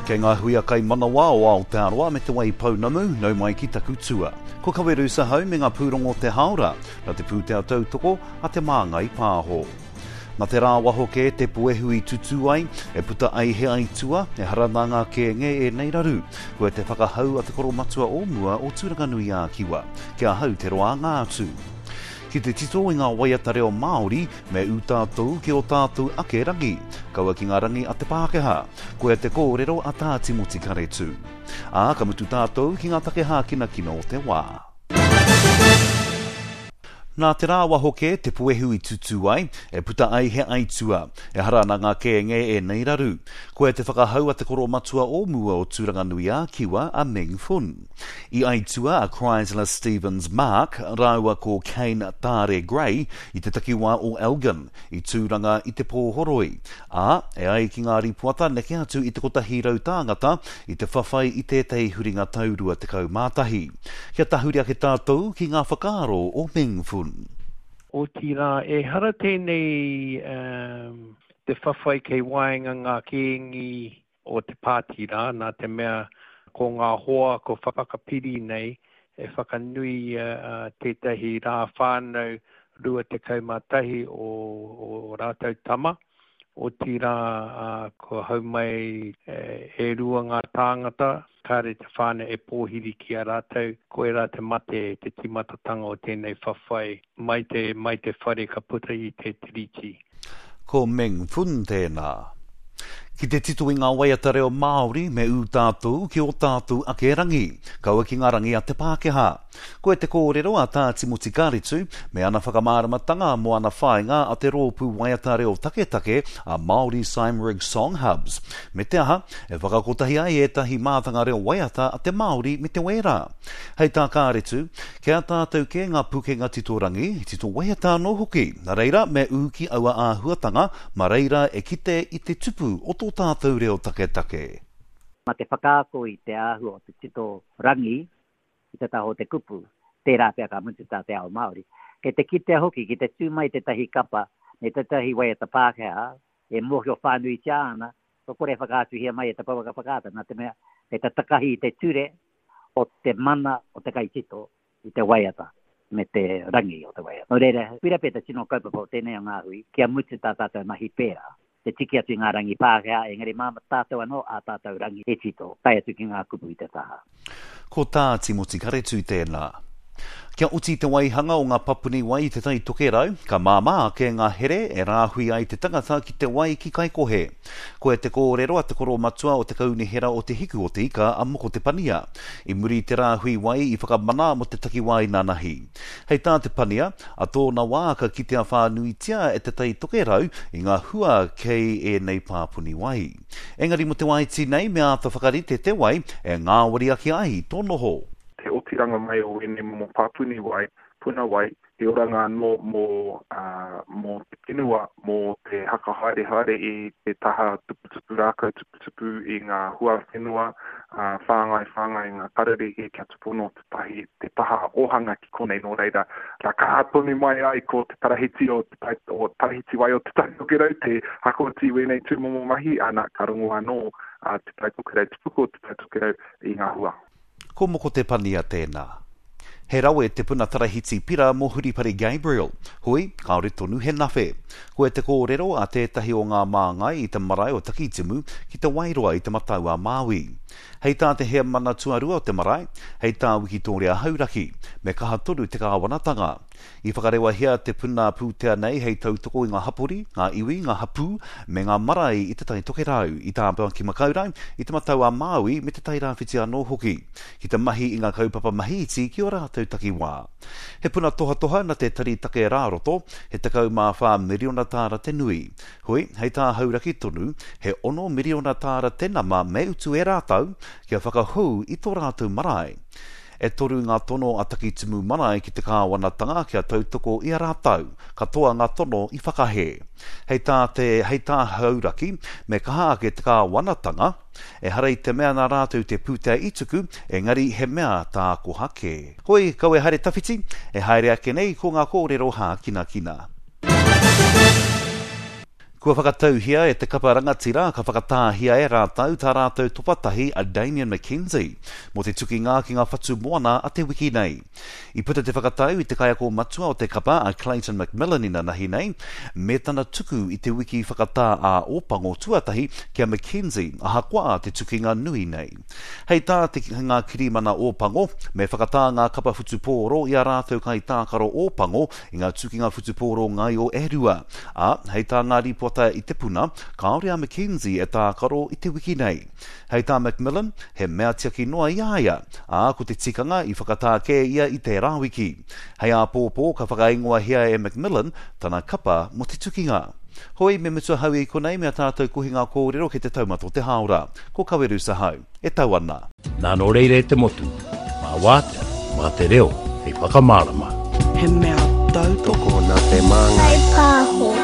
Kei ngā huia kaimanawa o Aotearoa me Te Waipounamu, nau mai ki taku tua. Ko Kawerusa hau me ngā pūrongo o te hāora, na te pūtea tautoko a Te Māngai Pāho. Na te rāwaho kē te puehu i tutū ai, e puta ai he aitua, ehara nā ngā kēnge ēnei raru. Koe te whakahau a te koromatua o mua o Tūranganui-ā-Kiwa, ki ahau te roanga atu. Ki te tito i ngā waiata reo Māori, me ū tātou ki ō tātou ake rangi, kaua ki ngā rangi a te Pākehā. Koia te kōrero a Tā Timoti Karetū. Ā, ka mutu tātou ki ngā take hākinakina o te wā. Nā te rāwaho kē te puehu i tutū ai, e puta ai he aitua. Ehara nā ngā kēnge ēnei raru. Koia te whakahau a te koromatua o mua o Tūranganui-ā-Kiwa, a Meng Fun. I aitua a Chrysler Stevens Mark rāua ko Kane Taare Gray i te takiwā o Elgin, i Tūranga i te pōhoroi. Ā, e ai ki ngā rīpoata neke atu i te 100 tāngata i te whawhai i tētahi huringa tau 21. Kia tahuri ake tātou ki ngā whakaaro o Meng Fun. Otirā, ehara tēnei te whawhai kei waenga ngā kēngi o te pāti rā, nā te mea ko ngā hoa ko whakapiri nei e whakanui tētahi rā whānau 21 o ō rātou tama, otirā kua hau mai e rua ngā tāngata, kāre te whānau e pōhiri ki a rātou, koirā te mate, te tīmatatanga o tēnei whawhai mai te, mai te whare ka puta i te tiriti. Ko Meng Fun tēnā. Ki te tito i ngā waiata reo Māori me ū tātou ki ō tātou ake rangi, kaua ki ngā rangi a te Pākehā. Koe te kōrero a Tā Timoti Kāretu me ana whakamāramatanga mō ana whāinga a te rōpū waiata reo taketake a Māori Cymraeg Song Hubs. Me te aha, e whakakotahi ai ētahi mātanga reo waiata a te Māori me te Wērā. Hei tā Kāretu, Kei a tātou kē ngā pukenga tito rangi, tito waiata anō hoki. Nā reira, me ū ki aua āhuatanga, mā reira e kite i te tupu o tō tātou reo taketake. Mā te whakaako i te āhua o te tito rangi i te taha o te kupu, tērā pea ka mutu tā te ao Māori. Kei te kitea hoki, ki te tū mai tētahi kapa me tētahi waiata Pākehā e mōhio whānuitia ana, kua kore e whakaatuhia mai e te pouaka whakaata, nā te mea kei te takahi i te ture o te mana o te kaitito i te waiata me te rangi o te waiata. Nō reira, koira pea te tino kaupapa o tēnei o ngā hui, kia mutu tā tātou mahi pērā, te tiki atu i ngā rangi Pākehā, engari mā tātou anō ā tātou rangi e tito, tae atu ki ngā kupu i te taha. Ko tā Timoti Karetu tēnā. Kia oti te waihanga o ngā papuni wai i Te Tai Tokerau, ka māmā ake ngā here e rāhui ai te tangata ki te wai ki Kaikohe. Koia te kōrero a te koromatua o te Kaunihera o Te Hiku o Te Ika a Moko Te Pania, i muri i te rāhui wai i whakamana mō te takiwā inanahi. Hei tā Te Pania, a tōna wā ka kitea whānuitia e Te Tai Tokerau i ngā hua kei ēnei pāpuni wai. Engari mō te wā iti nei me āta whakarite te wai e ngāwari ake ai tō noho. Te otiranga mai o ēnei momo pāpuni wai, puna wai, he oranga anō mō, mō te whenua, mō te haka haere haere i te taha tuputupu rākau, tuputupu i ngā huawhenua, whāngai whāngai i ngā kararehe kia tupono te tahi, te taha ōhanga ki konei nō reira, kia kaha tonu mai ai ko te tarahiti o te tai, o tarahiti wai o Te Tai Tokerau te hakoti wēnei tūmomo mahi, ana ka rongo anō a Te Tai Tokerau, te puku o Te Tai Tokerau i ngā hua. Ko Moko Te Pania tēnā. He rawe te puna tarahiti pira mō Huripari Gabriel. Hoi, kāore tonu he nawhe. Koia te kōrero a tētahi o ngā māngai i te marae o Takitimu ki Te Wairoa i Te Matau-a-Māui. Hei tā te heamana tuarua o te marae, hei tā Wikitōria Hauraki, me kaha tonu te kāwanatanga. I whakarewahia te puna pūtea nei hei tautoko i ngā hapori, ngā iwi, ngā hapū, me ngā marae i Te Tai Tokerau, i Tāmaki-makau-rau, i Te Matau-a-Māui me Te Tai Rāwhiti anō hoki, ki te mahi i ngā kaupapa mahi iti ki ō rātou takiwā. He puna tohatoha na te Tari Take Rāroto, he 14 miriona tāra te nui. Hoi, hei tā Hauraki tonu, he ono miriona tāra te nama me utu e rātou kia whakahou i tō rātou marae. E toru ngā tono a Takitimu Marae ki te kāwanatanga kia tautoko i a rātou. Katoa ngā tono i whakahē. Hei tā te, hei tā Hauraki, me kaha ake te kāwanatanga, ehara i te mea nā rātou te pūtea i tuku, engari he mea tākoha kē. Hoi, kau e haere tawhiti, e haere ake nei ko ngā kōrero hākinakina. Kua whakatauhia e te kapa rangatira ka whakatāhia e rātou tā rātou topatahi a Damian McKenzie mō te tukinga ki ngā whatu moana a te wiki nei. I puta te whakatau i te kaiako matua o te kapa a Clayton McMillan inanahi nei, me tana tuku i te wiki whakatā ā-Ōpango tuatahi ki a McKenzie ahakoa te tukinga nui nei. Hei tā te ngā kirimana Ōpango, me whakatā ngā kapa whutupōro i ā rātou kaitākaro Ōpango i ngā tukinga whutupōro ngaio e rua. Ā, hei tā ngā rīpoata i Te Puna, kāore a McKenzie e tākaro i te wiki nei. Hei tā McMillan, he mea tiaki noa i a ia, ā, ko te tikanga i whakatā kē ia i tērā wiki. Hei āpōpō ka whakaingoahia e McMillan tana kapa mō te tukinga. Hoi, me mutu ahau i konei me a tātou kohinga kōrero kei te taumata o te hāora. Ko Kawerusa hau. E tau ana. Nā nō reira e te motu, mā wātea, mā te reo hei whakamārama. He mea tautoko. Tokona te māngai. Whai pāho.